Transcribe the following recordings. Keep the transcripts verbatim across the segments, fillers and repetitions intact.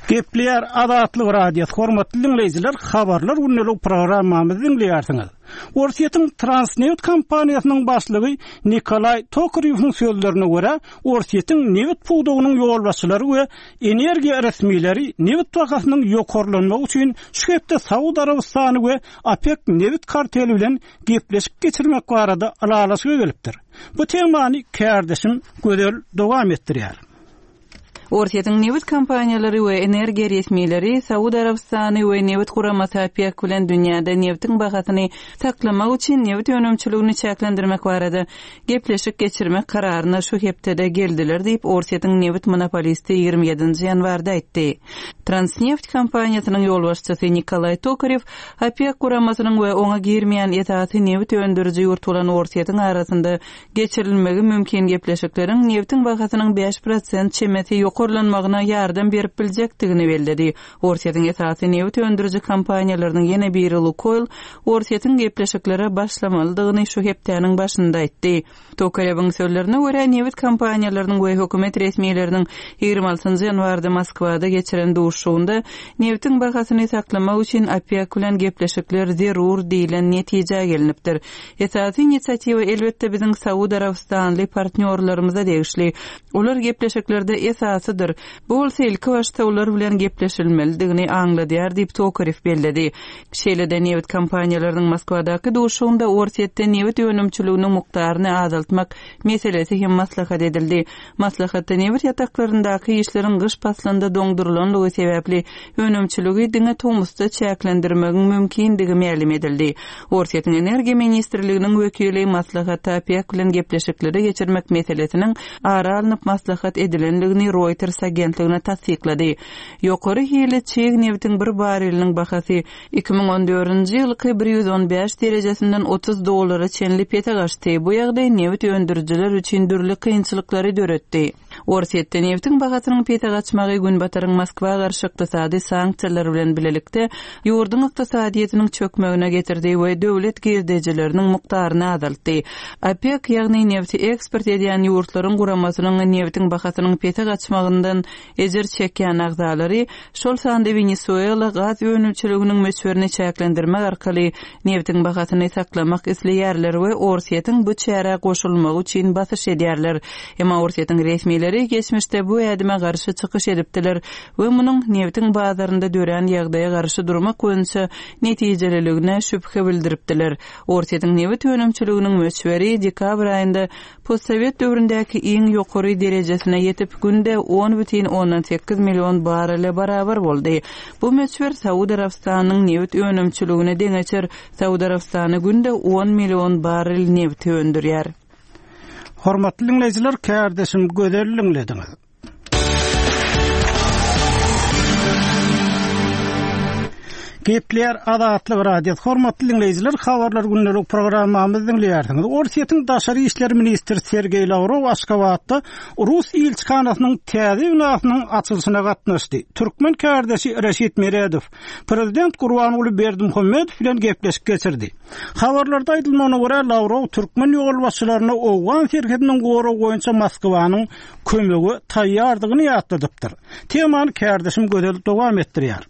Gepleýär Azatlyk Radiosy, hormatly diňleýjiler, habarlar gündelik programmamyzy diňleýärsiňiz. Orsýetiň Transneft kompaniýasynyň başlygy Nikolaý Tokarýewiň sözlerine görä, Orsýetiň neft pudagynyň ýolbaşçylary we energiýa resmileri neft bahasynyň ýokarlanmagy üçin şu hepde Saud Arabystany we OPEC neft karteli bilen gepleşik geçirmek barada ylalaşyga gelipdir. Bu temany kärdeşim Gözel dowam etdirýär. Orsýetiň neft kompaniýalary we energiýa resmileri Saud Arabystany we neft guramasy OPEC bilen dünýäde neftiň bahasyny saklamak üçin neft önümçiligini çäklendirmek barada gepleşik geçirmek kararyna şu hepdede geldiler diýip Orsýetiň neft monopolisti ýigrimi ýedinji ýanwarda aýtdy. Transneft kompaniýasynyň ýolbaşçysy Nikolaý Tokarew OPEC guramasynyň we oňa girmeýän esasy neft öndüriji ýurt bolan Orsýetiň arasynda geçirilmegi mümkin gepleşikleriň neftiň bahasynyň bäş prosent çemesi ýokarlanmagyna ýardam berip biljekdigini belledi. Orsýetiň esasy neft öndüriji kompaniýalarynyň ýene biri Lukoil Orsýetiň gepleşiklere başlamalydygyny şu hepdäniň başynda aýtdy. Tokarewiň sözlerine görä, neft kompaniýalarynyň we hökümet resmileriniň ýigrimi altynjy ýanwarda Moskwada geçiren duşuşygynda neftiň bahasyny saklamak üçin OPEC bilen gepleşikler zerur diýlen netijä gelinipdir. Esasy inisiatiwa elbetde biziň Saud Arabystanly partnýorlarymyza degişli. Olar gepleşiklerde esasydyr. Bu bolsa ilki başda olar bilen gepleşilmelidigini aňladýar diýip Tokarew belledi. Şeýle-de neft kompaniýalarynyň Moskwadaky duşuşygynda Orsýetde neft önümçiliginiň mukdaryny azaltmak meselesi hem maslahat edildi. Maslahatda neft ýataklaryndaky işleriň gyş paslynda doňdurylanlygy sebäpli önümçiligi diňe tomusda çäklendirmegiň mümkindigi mälim edildi. Orsýetiň Energiýa ministrliginiň wekili maslahatda OPEC bilen gepleşikleri geçirmek meselesiniň ara alnyp maslahat edilenligini Reuters agentligine tassyklady. Ýokary hili çig neftiň bir bareliniň bahasy iki müň on dördünji ýylky bir ýüz on bäş derejesinden otuz dollara çenli pese gaçdy. Bu ýagdaý neft öndürijiler üçin dürli kynçylyklary döretdi. Orsýetde neftiň bahasynyň pese gaçmagy Günbataryň Moskwa garşy ykdysady sanksiýalar bilen bilelikde ýurduň ykdysadyýetiniň çökmegine getirdi we döwlet girdejileriniň mukdaryny azaltdy. OPEC, ýagny nefti eksport edýän ýurtlaryň guramasynyň neftiň bahasynyň pese gaçmagyndan ejir çekýän agzalary, şol sanda Wenesuela gaz önümçiliginiň möçberini çäklendirmek arkaly neftiň bahasyny saklamak isleýärler we Orsýetiň bu çärä goşulmagy üçin basyş edýärler. Emma Orsýetiň resmileri geçmişde bu ädime garşy çykyş edipdiler we munuň neftiň bazarynda dörän ýagdaýa garşy durmak boýunça netijeliligine şübhe bildiripdiler. Orsýetiň neft önümçiliginiň möçberi dekabr aýynda postsowet döwründäki iň ýokary derejesine ýetip, günde on bütin ondan sekiz million barele barabar boldy. Bu möçber Saud Arabystanyň neft önümçiligine deňeçer. Saud Arabystany günde on million barel neft öndürýär. Hormatly dinleýjiler, kärdeşim Gözel dinlediňiz. Gepleýär Azatlyk Radiosy. Hormatly dinleýjiler, habarlar gündelik programmamyzy dinleýärsiňiz. Orsýetiň daşary işler ministri Sergeý Lawrow Aşgabatda Rus ilçihanasynyň täze binasynyň açylyşyna gatnaşdy. Türkmen kärdeşi Reşit Meredow Prezident Gurbanguly Berdimuhamedow bilen gepleşik geçirdi. Habarlarda aýdylmagyna görä, Lawrow türkmen ýolbaşçylaryna Owgan serhediniň goragy boýunça Moskwanyň kömege taýýardygyny ýatladypdyr. Temany kärdeşim Gözel dowam etdirýär.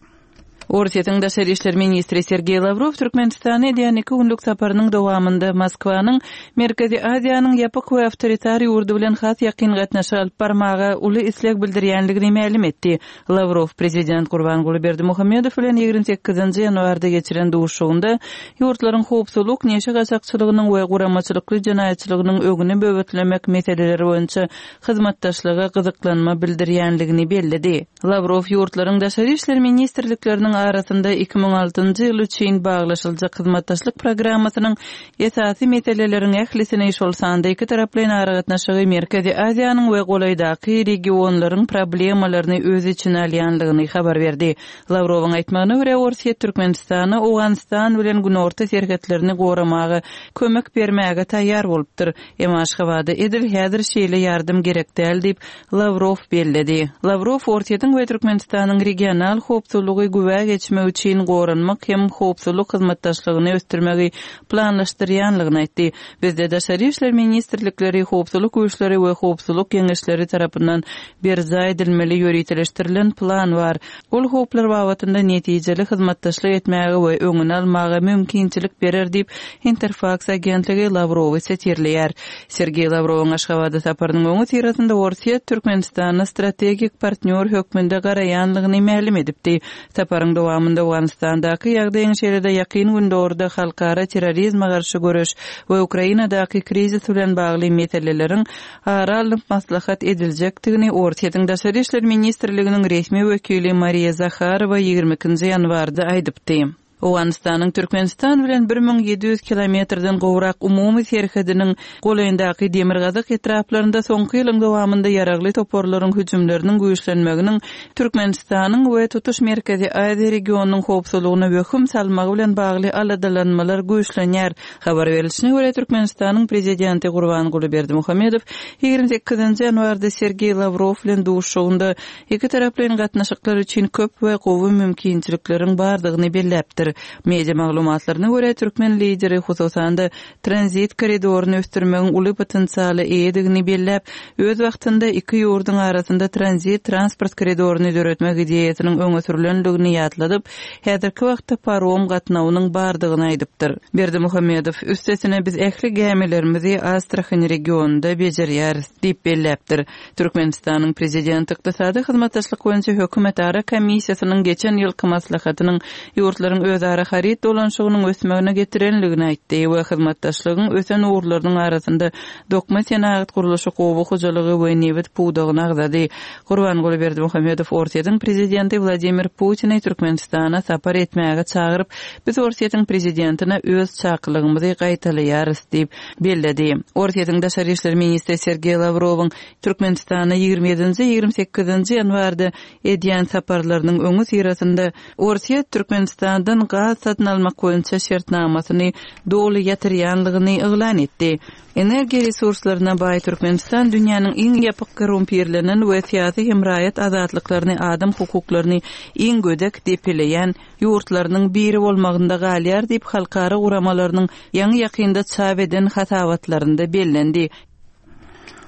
Orsýetiň daşary işler ministri Sergeý Lawrow Türkmenistana edýän iki günlük saparynyň dowamynda Moskwanyň Merkezi Aziýanyň ýapyk we awtoritar ýurdy bilen has ýakyn gatnaşyk alyp barmaga uly isleg bildirýänligini mälim etdi. Lawrow prezident Gurbanguly Berdimuhamedow bilen ýigrimi sekizinji ýanwarda geçiren duşuşygynda ýurtlaryň howpsuzlyk, neşe gaçakçylygynyň we guramaçylykly jenaýatçylygynyň öňüni böwetlemek meseleleri boýunça hyzmatdaşlyga gyzyklanma bildirýänligini belledi. Lawrow ýurtlaryň daşary işler ministrlikleriniň arasynda iki müň altynjy ýyl üçin baglaşyljak hyzmatdaşlyk programmasynyň esasy meseleleriň ählisini, şol sanda iki taraplaýyn aragatnaşygy Merkezi Aziýanyň we golaýdaky regionlaryň problemalaryny öz içine alýanlygyny habar berdi. Lawrowyň aýtmagyna görä, Orsýet Türkmenistana Owganystan bilen günorta serhetlerini goramaga kömek bermäge taýýar bolupdyr. Emma Aşgabada edil häzir şeýle ýardam gerek däl diýip Lawrow belledi. Lawrow Orsýetiň we Türkmenistanyň regional howpsuzlygy güwä geçmek üçin goranmak hem howpsuzlyk hyzmatdaşlygyny ösdürmegi planlaşdyrýanlygyny aýtdy. Bizde Daşary işler ministrlikleri, howpsuzlyk güýçleri we howpsuzlyk geňeşleri tarapyndan berjaý edilmeli ýöriteleşdirilen plan bar. Ol howplar babatynda netijeli hyzmatdaşlyk etmäge we öňüni almaga mümkinçilik berer diýip Interfax agentligi Lawrowy sitirleýär. Sergey Lawrowyň Aşgabada saparynyň öňüsyrasynda Orsýet Türkmenistana strategik partnýor hökmünde garaýanlygyny mälim edipdi. Saparyň dowamynda Owganystandaky ýagdaýyň şeýle-de ýakyn Gündogarda halkara terrorizme garşy göreş we Ukrainadaky krizis bilen bagly meseleleriň ara alnyp maslahat ediljekdigini Orsýetiň Daşary işler ministrliginiň resmi wekili Mariýa Zaharowa ýigrimi ikinji ýanwarda aýdypdy. Owganystanyň Türkmenistan bilen bir müň ýedi ýüz kilometrden gowrak umumy serhediniň golaýyndaky Demirgazyk etraplarynda soňky ýylyň dowamynda ýaragly toparlaryň hüjümleriniň güýçlenmeginiň Türkmenistanyň we tutuş Merkezi Aziýa regionynyň howpsuzlygyna wehim salmagy bilen bagly aladalanmalar güýçlenýär. Habar berilişine görä, Türkmenistanyň prezidenti Gurbanguly Berdimuhamedow ýigrimi sekizinji ýanwarda Sergey Lawrow bilen duşuşygynda iki taraplaýyn gatnaşyklar üçin köp we gowy mümkinçilikleriň bardygyny belläpdir. Media maglumatlaryna görä, türkmen lideri hususan-da tranzit koridoryny ösdürmegiň uly potensialy eýedigini belläp, öz wagtynda iki ýurduň arasynda tranzit transport koridoryny döretmek ideýasynyň öňe sürülendigini ýatladyp, häzirki wagtda parom gatnawynyň bardygyny aýdypdyr. Berdimuhamedow, üstesine biz ähli gämilerimizi Astrahan regionynda bejerýäris diýip belläpdir. Türkmenistanyň prezidenti ykdysady hyzmatdaşlyk boýunça hökümetara komissiýasynyň geçen ýylky maslahatynyň ýurtlaryň özara haryt dolanşygynyň ösmegine getirenligini aýtdy we hyzmatdaşlygyň ösen ugurlarynyň arasynda dokma senagat gurluşyk, oba hojalygy we nebit pudagyny agzady. Gurbanguly Berdimuhamedow Orsýetiň prezidenti Wladimir Putini Türkmenistana sapar etmäge çagyryp, biz Orsýetiň prezidentine öz çakylygymyzy gaýtalaýarys diýip belledi. Orsýetiň Daşary işler ministri Sergey Lawrowyň Türkmenistana ýigrimi ýedinji, ýigrimi sekizinji ýanwarda edýän saparlarynyň öňüsyrasynda Orsýet Türkmenistandan gaz satyn almak boýunça şertnamasyny doly ýatyrýanlygyny yglan etdi. Energiýa resurslaryna baý Türkmenistan dünýäniň iň ýapyk korrumpirlenen we syýasy hem raýat azatlyklaryny, adam hukuklaryny iň gödek depeleýän ýurtlarynyň biri bolmagynda galýar diýip halkara guramalarynyň ýaňy ýakynda çap eden hasabatlarynda bellendi.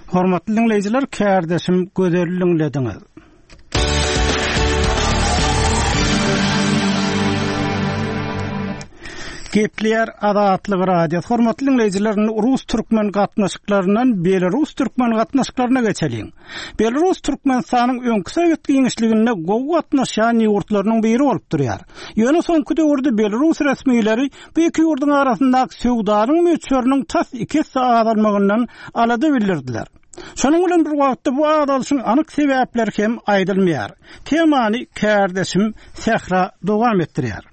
Hormatly dinleýjiler, kärdeşim Gözel dinlediňiz. Gepleýär Azatlyk Radiosy. Hormatly dinleýjiler, Rus-türkmen gatnaşyklaryndan Belarus-türkmen gatnaşyklaryna geçeliň. Belarus Türkmenistanyň öňki Sowet giňişliginde gowy gatnaşýan ýurtlarynyň biri bolup durýar. Ýöne soňky döwürde Belarus resmileri bu iki ýurduň arasyndaky söwdanyň möçberiniň tas iki esse azalmagyndan alada bildirdiler. Şonuň bilen bir wagtda bu azalyşyň anyk sebäpleri hem aýdylmaýar. Temany kärdeşim Sähra dowam etdirýär.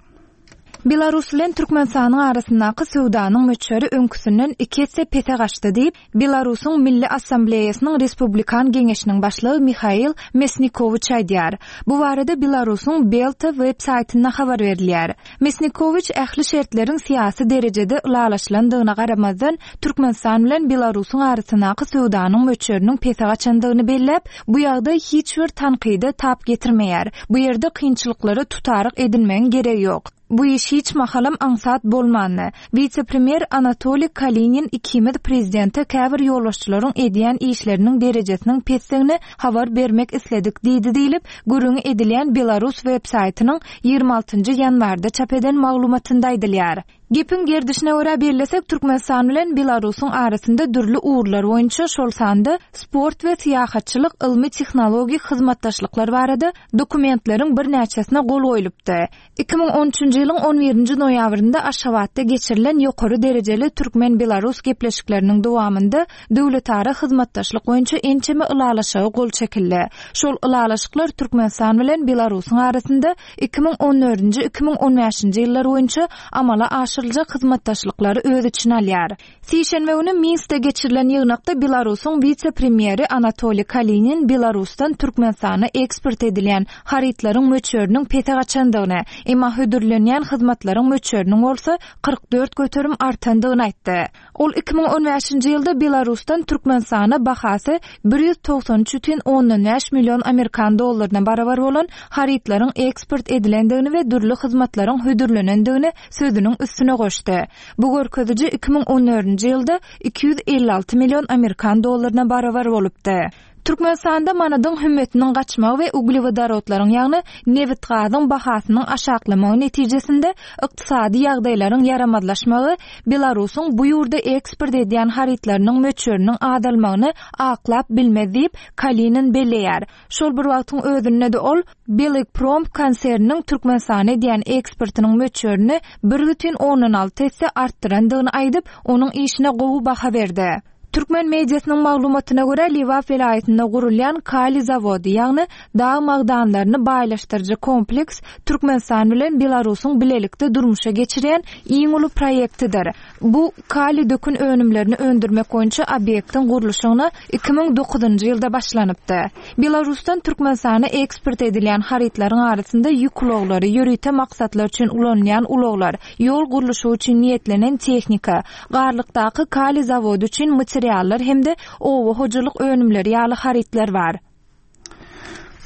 Belarus bilen Türkmenistanyň arasyndaky söwdanyň möçberi öňküsinden iki esse pese gaçdy diýip, Belarusyň Milli Assambleýasynyň Respublikan Geňeşiniň başlygy Mihail Mesnikowiç aýdýar. Bu barada Belarusyň Belta web saýtynda habar berilýär. Mesnikowiç ähli şertleriň syýasy derejede ylalaşylandygyna garamazdan, Türkmenistan bilen Belarusyň arasyndaky söwdanyň möçberiniň pese gaçandygyny belläp, bu ýagdaý hiç bir tankyda tap getirmeýär. Bu ýerde kynçylyklara tutaryk edinmegiň geregi ýok. Bu iş hiç mahalam aňsat bolmandy. Wise-premýer Anatoliý Kalinin ikimiz prezidente käbir ýolbaşçylaryň edýän işleriniň derejesiniň pesdigini habar bermek isledik diýdi diýlip, gürrüňi edilýän Belarus web saýtynyň ýigrimi altynjy ýanwarda çap eden maglumatynda aýdylýar. Gepiň gerdişine görä bellesek, Türkmenistan bilen Belarusyň arasynda dürli ugurlar boýunça şol sanda sport we syýahatçylyk, ylmy tehnologik hyzmatdaşlyklar barada dokumentleriň birnäçesine gol goýlupdy. Iki müň on üçünji ýylyň on birinji noýabrynda Aşgabatda geçirilen ýokary derejeli Türkmen-Belarus gepleşikleriniň dowamynda döwletara hyzmatdaşlyk boýunça ençeme ylalaşyga gol çekildi. Şol ylalaşyklar Türkmenistan bilen Belarusyň arasynda iki müň on dördünji, iki müň on bäşinji ýyllar boýunça amala aşyrylan aşyryljak hyzmatdaşlyklary öz içine alýar. Sişenbe güni Minskde geçirilen ýygnakda Belarusyň wise-premýeri Anatoliý Kalinin Belarusdan Türkmenistana eksport edilýän harytlaryň möçberiniň pese gaçandygyny, emma hödürlenýän hyzmatlaryň möçberiniň bolsa kyrk dört göterim artandygyny aýtdy. Ol iki müň on bäşinji ýylda Belarusdan Türkmenistana bahasy bir ýüz togsan üç bütin ondan bäş million amerikan dollaryna barabar bolan harytlaryň eksport edilendigini we dürli hyzmatlaryň hödürlenendigini sözüniň üstüne goşdy. Bu görkeziji iki müň on dördünji ýylda iki ýüz elli alty million amerikan dollaryna barabar bolupdy. Türkmenistanda manadyň hümmetiniň gaçmagy we uglewodorodlaryň, ýagny nebit-gazyň bahasynyň aşaklamagy netijesinde ykdysady ýagdaýlaryň ýaramazlaşmagy Belarusyň bu ýurda eksport edýän harytlarynyň möçberiniň azalmagyny aklap bilmez diýip Kalinin belleýär. Şol bir wagtyň özünde-de ol Belgprom konserniniň Türkmenistana edýän eksportynyň möçberini bir bütin ondan alty esse artdyrandygyny aýdyp, onuň işine gowy baha berdi. Türkmen mediasynyň maglumatyna görä, Lebap welaýatynda gurulýan kali zawody, ýagny dag magdanlaryny baýlaşdyryjy kompleks Türkmenistan bilen Belarusyň bilelikde durmuşa geçirýän iň uly proýektidir. Bu kali dökün önümlerini öndürmek boýunça obýektiň gurluşygyna iki müň dokuzynjy ýylda başlanypdy. Belarusdan Türkmenistana eksport edilýän harytlaryň arasynda ýük ulaglary, ýörite maksatlar üçin ulanylýan ulaglar, ýol gurluşygy üçin niýetlenen tehnika, garlykdaky kali zawody üçin materiallar hem-de oba hojalyk önümleri ýaly harytlar bar.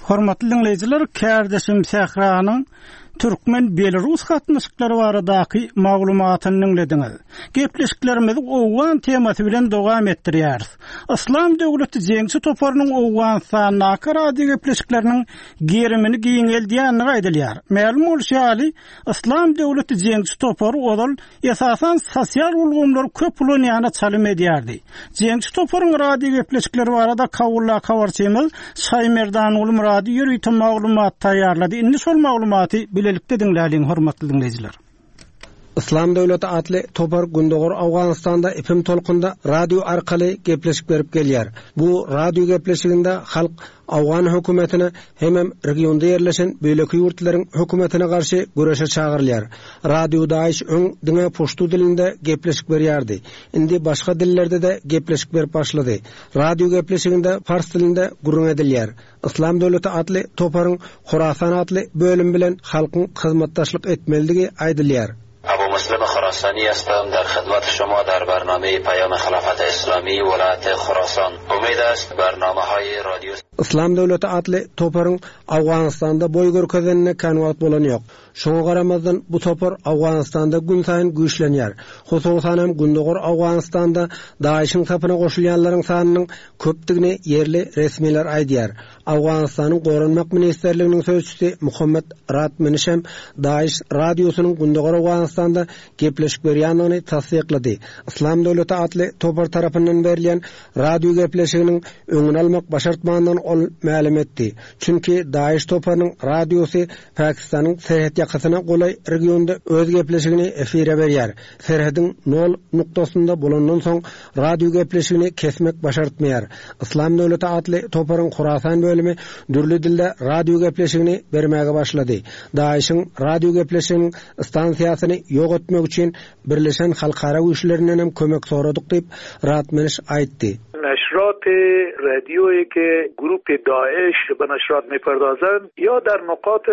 Hormatly dinleýjiler, kärdeşim Sähranyň Türkmen-Belarus gatnaşyklary baradaky maglumatyny dinlediňiz. Gepleşiklerimizi Owgan temasy bilen dowam etdirýäris. Yslam döwleti jeňçi toparynyň Owganystandaky radio gepleşikleriniň gerimini giňeldýänligi aýdylýar. Mälim bolşy ýaly, Yslam döwleti jeňçi topary ozal esasan sosial ulgamlary köp ulanýana çalym edýärdi. Jeňçi toparyň radio gepleşikleri barada Kawulla habarçymyz Şaýmerdan Murady ýörite maglumat taýýarlady. Indi şol maglumaty bilelikde diňläliň, hormatly dinleýjiler. Yslam döwleti atly topar Gündogar Owganystanda ipim tolkunda radio arkaly gepleşik berip gelýär. Bu radio gepleşiginde halk Owgan hökümetine hemem regionda ýerleşen beýleki ýurtlaryň hökümetine garşy göreşe çagyrylýar. Radio Daesh öň diňe puştu dilinde gepleşik berýärdi. Indi başga dillerde de gepleşik berip başlady. Radio gepleşiginde pars dilinde gürrüň edilýär. Yslam döwleti atly toparyň Horasan atly bölüm bilen halkyň hyzmatdaşlyk etmelidigi aýdylýar. Abu Muslim Khorasani هستم در خدمت شما در برنامه پیام خلافت اسلامی ولایت خراسان. امید است برنامه های رادیو Yslam döwleti atly toparyň Owganystanda boý görkezenine kän wagt bolan ýok. Şoňa garamazdan bu topar Owganystanda gün saýyn güýçlenýär. Hususan hem Gündogar Owganystanda Daeşiň sapyna goşulýanlaryň sanynyň köpdügini ýerli resmiler aýdýar. Owganystanyň Goranmak Ministerliginiň sözçüsi Muhammed Ratmeniş hem Daeş radiosynyň Gündogar Owganystanda gepleşik berýändigini tassyklady. Yslam döwleti atly topar tarapyndan berilýän radio gepleşiginiň öňüni almak başartmandan ol mälim etdi. Çünki Daeş toparynyň radiosy Pakistanyň serhet ýakasyna golaý regionda öz gepleşigini efire berýär. Serhediň nol noktasynda bolandan soň radio gepleşigini kesmek başartmaýar. Yslam döwleti atly toparyň Horasan bölümi dürli dilde radio gepleşigini bermäge başlady. Daeşiň radio gepleşiginiň stansiýasyny ýok etmek üçin Birleşen Halkara güýçlerinden hem kömek soradyk diýip Ratmeniş aýtdy. نشرات رادیویی که گروپ داعش به نشرات میپردازند یا در نقاط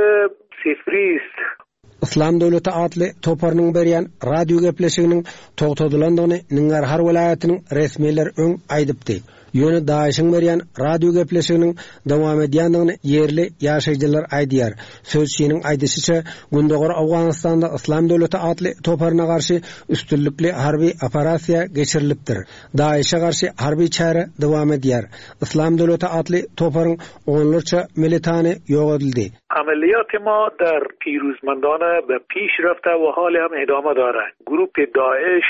صفری است. Yslam döwleti atly toparynyň berýän radio gepleşiginiň togtadylandygyny Ningarhar welaýatynyň resmiler öň aýdypdy. Ýöne Daeşiň berýän radio gepleşiginiň dowam edýändigini ýerli ýaşaýjylar aýdýar. Sözçiniň aýdyşyça Gündogar Owganystanda Yslam döwleti atly toparyna garşy üstünlikli harby operasiýa geçirilipdir. Daeşe garşy harby çäre dowam edýär. Yslam döwleti atly toparyň onlarça militany ýok edildi. عملیات ما در پیروزمندانه به پیش رفته و حال هم ادامه داره. گروپ داعش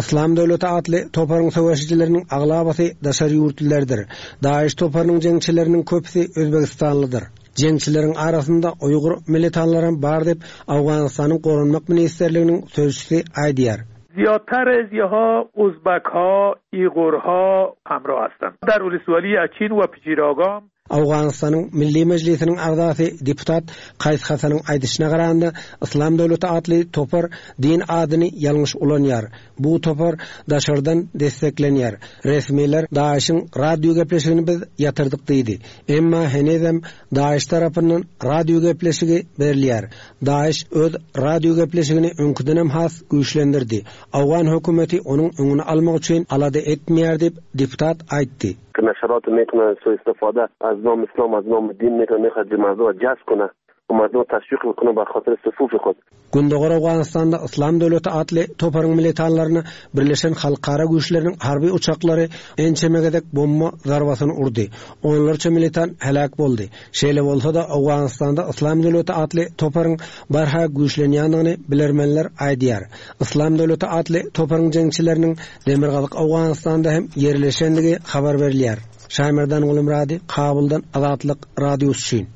Yslam döwleti atly toparyň söweşijileriniň aglabasy daşary ýurtlylardyr. Daeş toparynyň jeňçileriniň köpüsi Özbegistanlydyr. Jeňçileriň arasynda Uýgur militanlaryň bar diýip Owganystanyň Goranmak Ministerliginiň sözçüsi aýdýar. زیادتر از یها ازبک ها، ایغورها همراه هستند. در ولسوالی اچین و پجیراگام Awganystanyň Milli Mejlisiniň agzasy deputat Kaýs Hasanyň aýdyşyna garanda Yslam döwleti atly topar din adyny ýalňyş ulanýar. Bu topar daşardan desteklenýär. Resmiler DAEŞ-iň radio gepleşigini biz ýatyrdyk diýdi. Emma henizem DAEŞ tarapyndan radio gepleşigi berilýär. DAEŞ öz radio gepleşigini öňküdenem has güýçlendirdi. Awgan hökümeti onuň öňüni almak üçin alada etmeýär diýip deputat aýtdy. که نشرات میکنه سوء استفاده از نام اسلام از نام دین میکنه میخواد مردم جذب کنه و مردم تشویق بکنه به خاطر صفوف خود. Gündogar Awganystanda Yslam döwleti atly toparyň militanlaryny Birleşen Halkara güýçleriniň harby uçaklary ençeme gezek bomba zarbasyny urdy. Onlarça militan helak boldy. Şeýle bolsa da Awganystanda Yslam döwleti atly toparyň barha güýçlenýändigini bilermenler aýdýar. Yslam döwleti atly toparyň jeňçileriniň Demirgazyk Awganystanda hem ýerleşendigi habar berilýär. Şaýmerdan Gulumrady, Kabuldan Azatlyk Radiosy üçin.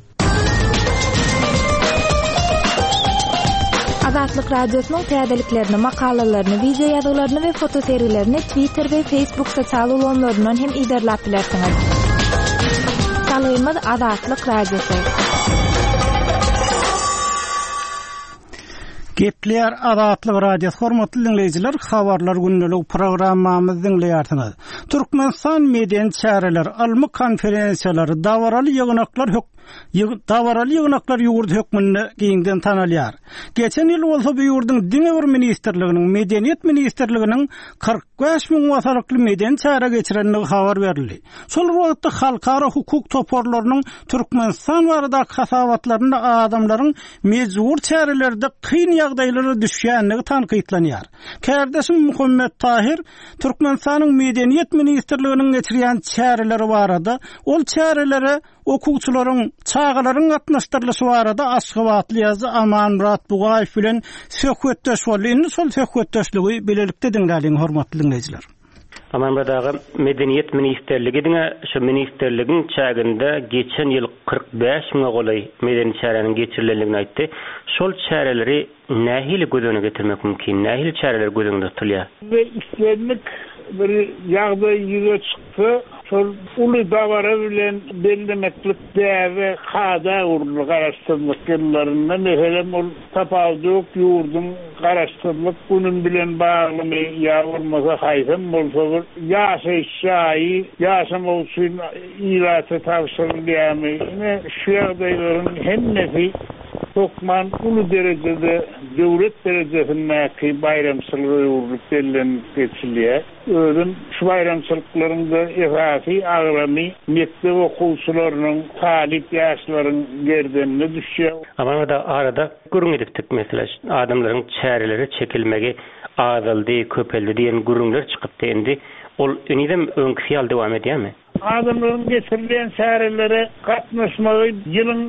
Azatlyk Radiosynyň täzeliklerini, makalalaryny, video ýazgylaryny we fotosergilerini Twitter we Facebook sosial ulgamlaryndan hem iderläp bilersiňiz. Salgymyz Azatlyk Radiosy. Gepler Azatlyk Radiosy hormatly dinleýjiler, habarlar gündelik programmamyzy dinleýärsiňiz. Türkmenistan medeni çäreler, ylmy konferensiýalary, dawaraly ýygnaklar hök dawaraly ýygnaklar ýurdy hökmünde giňden tanalýar. Geçen ýyl bolsa bu ýurduň diňe bir ministrliginiň, Medeniýet ministrliginiň kyrk bäş müň wasalykly medeni çäre geçirenligi habar berildi. Şol wagtda halkara hukuk toparlarynyň Türkmenistan baradaky hasabatlarynda adamlaryň mejbur çärelerde kyn ýagdaýlara düşýänligi tankytlanýar. Kärdeşim Muhammet Tahir Türkmenistanyň Medeniýet ministrliginiň geçirýän çäreleri barada, ol çärelere okuwçylaryň, çagalaryň gatnaşdyrylyşy barada Aşgabatly ýazyjy Amanmyrat Bugaýew bilen söhbetdeş boldy. Indi şol söhbetdeşligi bilelikde diňläliň hormatly dinleýjiler. Amanmyrat aga, Medeniýet ministrligi diňe şu ministrligiň çäginde geçen ýyl kyrk bäş müňe golaý medeni çäräniň geçirilendigini aýtdy. Şol çäreleri nähili göz öňüne getirmek mümkin? Nähili çäreler göz öňünde tutulýar? Ve islendik bir ýagdaý ýüze çyksa, şol uly dawara bilen bellemeklik däbe kada uruldy garaşsyzlyk ýyllarynda. Meselem, ol tapawudy ýurduň garaşsyzlyk günün bilen baglymy ýa bolmasa haýsam bolsa bir ýaşaýyş jaýy ýaşamak üçin ilata tabşyrylýarmy? Ine şu ýagdaýlaryň hemmesi hökman uly derejede döwlet derejesindäki baýramçylyga öwrülip bellenip geçilýär. Özüm şu baýramçylyklaryň da esasy agramy mekdep okuwçylarynyň, talyp ýaşlaryň gerdenine düşýär. Amanmyrat aga, arada gürrüň edipdik mesela, adamlaryň çäreleri çekilmegi azaldy, köpeldi diýen gürrüňler çykypdy indi. Ol enizem öňküsi ýaly dowam edýärmi? Adamlaryň geçirilen çärelere gatnaşmagy ýylyň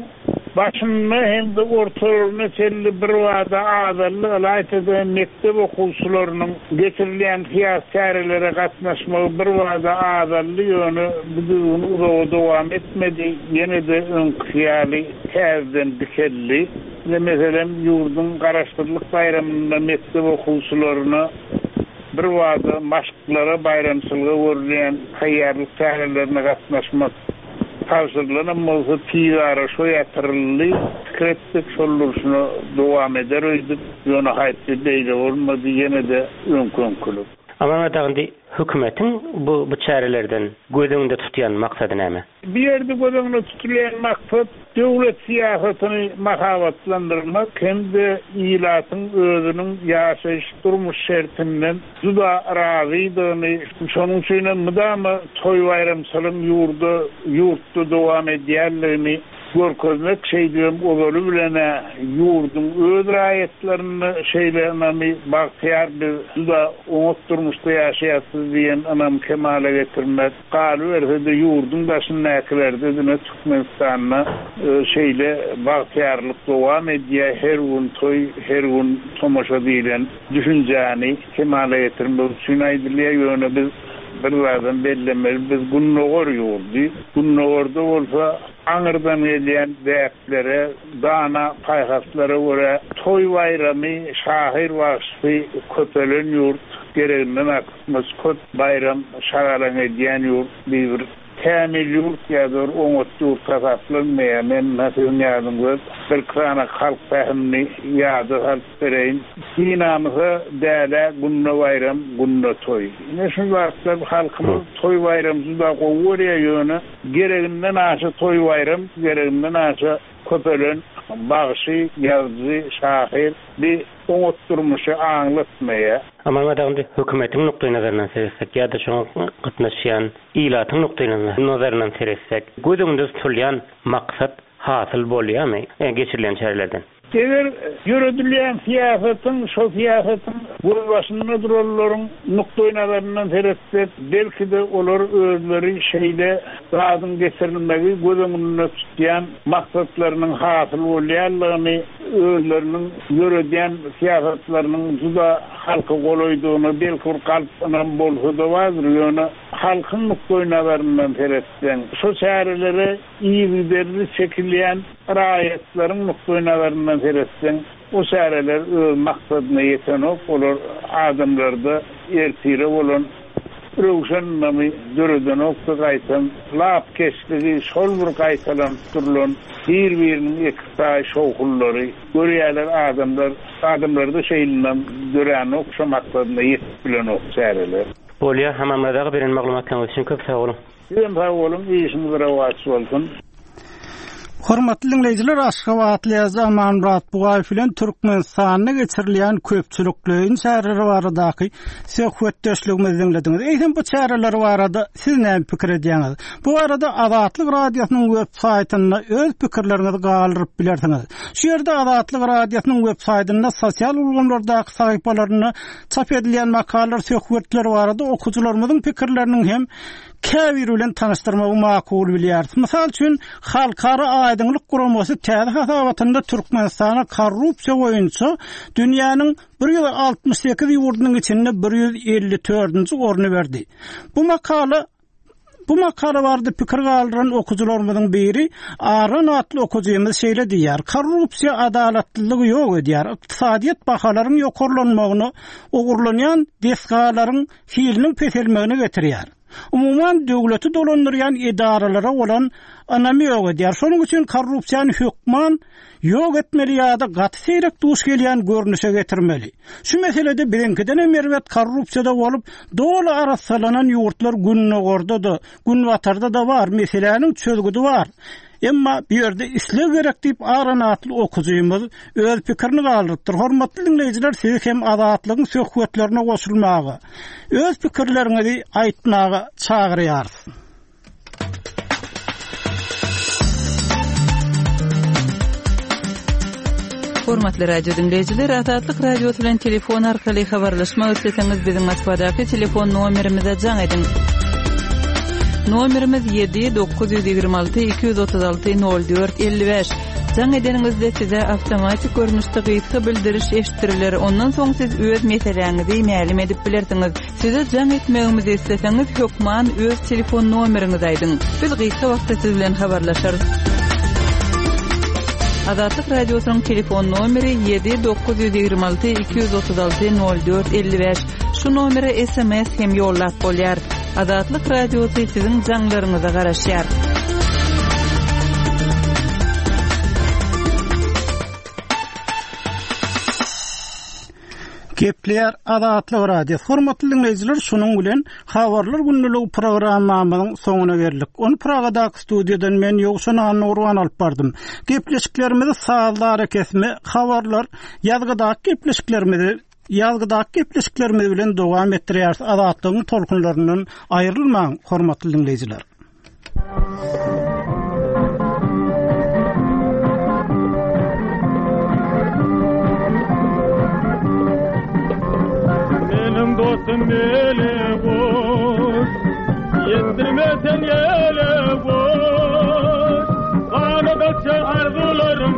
başynda hem de ortalarına çenli bir wada azaldy, ylaýta-da mekdep okuwçylarynyň geçirilen syýasy çärelere gatnaşmagy bir wada azaldy, ýöne bu düzgün uzaga dowam etmedi, ýene-de öňküsi ýaly täzeden dikeldi. Ine meselem, ýurduň garaşsyzlyk baýramynda mekdep okuwçylaryna bir wada maşklara, baýramçylyga görülýän taýýarlyk çärelerine gatnaşmak tabşyrylanam bolsa tizara şo ýatyryldy. Pikir etdik, şol durşuna dowam eder öýdüp, ýöne haýpy beýle bolmady, ýene-de öňkü-öňkülük. Amanmyrat aga, indi hökümetiň bu, bu çärelerden göz öňünde tutýan maksady näme? Bir ýerde göz öňünde tutulýan maksat döwlet syýasatyny mahabatlandyrmak hem-de ilatyň özüniň ýaşaýyş durmuş şertinden juda razydygyny, şonuň üçin hem mudama toý baýramçylygyň ýurda, ýurtda dowam edýänligini görkezmek, şeýdibem ozaly bilen ýurduň öz raýatlaryny şeýle ynamy bagtyýar biz juda oňat durmuşda ýaşaýarsyz diýen ynam kemala getirmek, galyberse-de ýurduň daşyndakilerde diňe Türkmenistanda, e, şeýle bagtyýarlyk dowam edýär, her gün toý, her gün tomaşa diýlen düşünjäni kemala getirmek üçin aýdylýar. Ýöne biz bir zadam bellemeli, biz gündogar ýurdy, gündogarda bolsa aňyrdan gelýän däplere, dana paýhaslara görä toý baýramy, şahyr bagşysy köpelen ýurt, gereginden artykmaç köp baýram şagalaň edýän ýurt bir Kämil ýurt ýa-da bir oňat ýurt hasaplanmaýar. Men siziň ýadyňyzda bir sany halk pähimini ýada salyp bereýin. Binamyza däle günde baýram, günde toý. Ine şu wagtlar halkymyz toý baýram juda gowy görýär ýöne gereginden aşa toý baýram, gereginden aşa köpelen bagşy, ýazyjy, şahyr bir oňat durmuşy aňlatmaýar. Aman indi hökümetiň nukdaý nazaryndan seretsek ýa-da şoňa gatnaşýan ilatyň nukdaý nazaryndan seretsek, göz öňünde tutulýan maksat hasyl bolýarmy geçirilen çärelerden? Eger ýöredilýän syýasatyň, şo syýasatyň gözbaşynda duranlaryň nukdaý nazaryndan seretsek, belki-de olar özleri şeýle zadyň getirilmegi göz öňünde tutýan maksatlarynyň hasyl bolýanlygyny, özleriniň ýöredýän syýasatlarynyň juda halka golaýdygyny belki bir galp ynam bolsa-da bardyr, ýöne halkyň nukdaý nazaryndan seretseň, şo çärelere yzygiderli çekilýän raýatlaryň nukdaý nazaryndan seretseň, o çäreler öz maksadyna ýetenok, olar adamlarda ertire bolan röwşen ynamy döredenok da gaýtam lapkeşligi şol bir gaýtalanyp durulan bir-biriniň eksaý şowhullary görýärler adamlar, adamlarda şeýle döränok, şo maksadyna ýetip bilenok çäreler. Bolýar, Amanmyrat aga beren maglumatlaryňyz üçin köp sag boluň. Sizem sag boluň, işiňiz rowaç bolsun. Hormatly dinleýjiler, Aşgabatly ýazyjy Amanmyrat Bugaýew bilen Türkmenistanda geçirilýän köpçülikleýin çäreler baradaky söhbetdeşligimizi dinlediňiz. Eýsem bu çäreler barada siz näme pikir edýäňiz? Bu barada Azatlyk Radiosynyň web saýtynda öz pikirleriňizi galdyryp bilersiňiz. Şu ýerde Azatlyk Radiosynyň web saýtynda sosial ulgamlardaky sahypalarynda çap edilýän makalalar, söhbetler barada okyjylarymyzyň pikirleriniň hem käbir bilen tanyşdyrmagy makul bilýäris. Mysal üçin, Halkara Aýdyňlyk Guramasy täze hasabatynda Türkmenistana korrupsiýa boýunça dünýäniň bir ýüz altmyş sekiz ýurdunyň içinde bir ýüz elli dördünji orny berdi. Bu makala Bu makala barada pikir galdyran okyjylarymyzyň biri Aran atly okyjymyz şeýle diýýär: Korrupsiýa adalatlylygy ýok edýär. Ykdysadyýet bahalaryň ýokarlanmagyna, ogurlanýan desgalaryň hiliniň peselmegine getirýär. Umuman döwleti dolandyrýan edaralara bolan ynamy ýok edýär. Şonuň üçin korrupsiýany hökman ýok etmeli ýa-da gaty seýrek duş gelýän görnüşe getirmeli. Şu meselede biziňkiden hem erbet korrupsiýada bolup, doly arassalanan ýurtlar gündogarda-da, günbatarda-da bar, meseläniň çözgüdi bar. Emma bu ýerde isleg gerek diýip Aran atly okyjymyz öz pikirini galdyrypdyr. Hormatly dinleýjiler, sizi hem Azatlygyň söhbetlerine goşulmaga, öz pikirleriňizi aýtmaga çagyrýarys. Hormatly radio dinleýjiler, Azatlyk Radiosy bilen telefon arkaly habarlaşmak isleseňiz biziň Moskwadaky telefon nomerimize jaň ediň. Nomerimiz ýedi dokuz ýüz ýigrimi alty iki ýüz otuz alty nol dört elli bäş. Jaň edeniňizde size awtomatik görnüşde gysga bildiriş eşitdiriler. Ondan soň siz öz meseläňizi mälim edip bilersiňiz. Size jaň etmegimizi isleseňiz hökman öz telefon nomeriňizi aýdyň. Biz gysga wagtda siz bilen habarlaşarys. Azatlyk Radiosynyň telefon nomeri ýedi dokuz ýüz ýigrimi alty iki ýüz otuz alty nol dört elli bäş. Şu nomere S M S hem ýollap bolýar. Azatlyk Radiosy siziň jaňlaryňyza garaşýar. Gepleýär Azatlyk Radiosy. Hormatly dinleýjiler, şunuň bilen Habarlar günlügi programmamyzyň soňuna geldik. Ony Pragadaky studiýadan men Ýowşan Annagurban alyp bardym. Gepleşiklerimizi sazlar kesme, habarlar, ýazgydaky gepleşiklerimizi ýazgydaky gepleşiklerimiz bilen dowam etdirýäris. Azatlygyň tolkunlaryndan aýrylmaň, hormatly dinleýjiler. Benim dostum mele boş, yedirmesen yele boş. Kanadakça arzularım